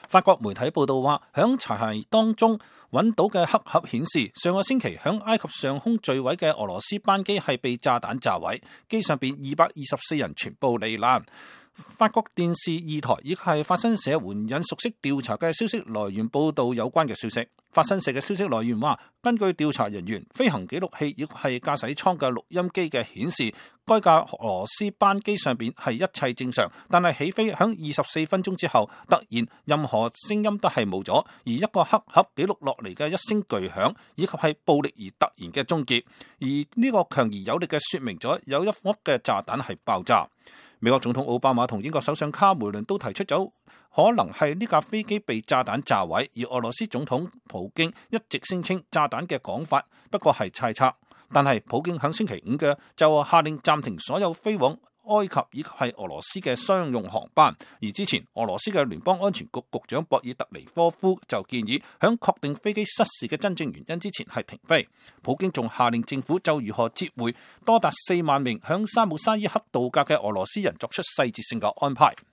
法國媒體報道話，響殘骸當中揾到嘅黑盒顯示，上個星期響埃及上空墜毀嘅俄羅斯班機係被炸彈炸毀，機上邊224人全部罹難。法國電視2台亦係法新社援引熟悉調查嘅消息來源報道有關嘅消息。法新社嘅消息來源話，根據調查人員飛行記錄器亦係駕駛艙嘅錄音機嘅顯示，該架俄羅斯班機上邊係一切正常，但係起飛響24分鐘之後，突然任何聲音都係冇咗，而一個黑盒記錄落嚟嘅一聲巨響，以及係暴力而突然嘅終結，而呢個強而有力嘅說明咗有一顆嘅炸彈係爆炸。美國總統奧巴馬同英國首相卡梅倫都提出咗可能係呢架飛機被炸彈炸毀，而俄羅斯總統普京一直聲稱炸彈嘅講法不過係猜測。但係普京響星期五嘅就下令暫停所有飛往埃及以及係俄羅斯嘅商用航班，而之前俄羅斯嘅聯邦安全局局長博爾特尼科夫就建議響確定飛機失事嘅真正原因之前係停飛。普京仲下令政府就如何接回多達4萬名響沙姆沙伊克度假嘅俄羅斯人作出細節性嘅安排。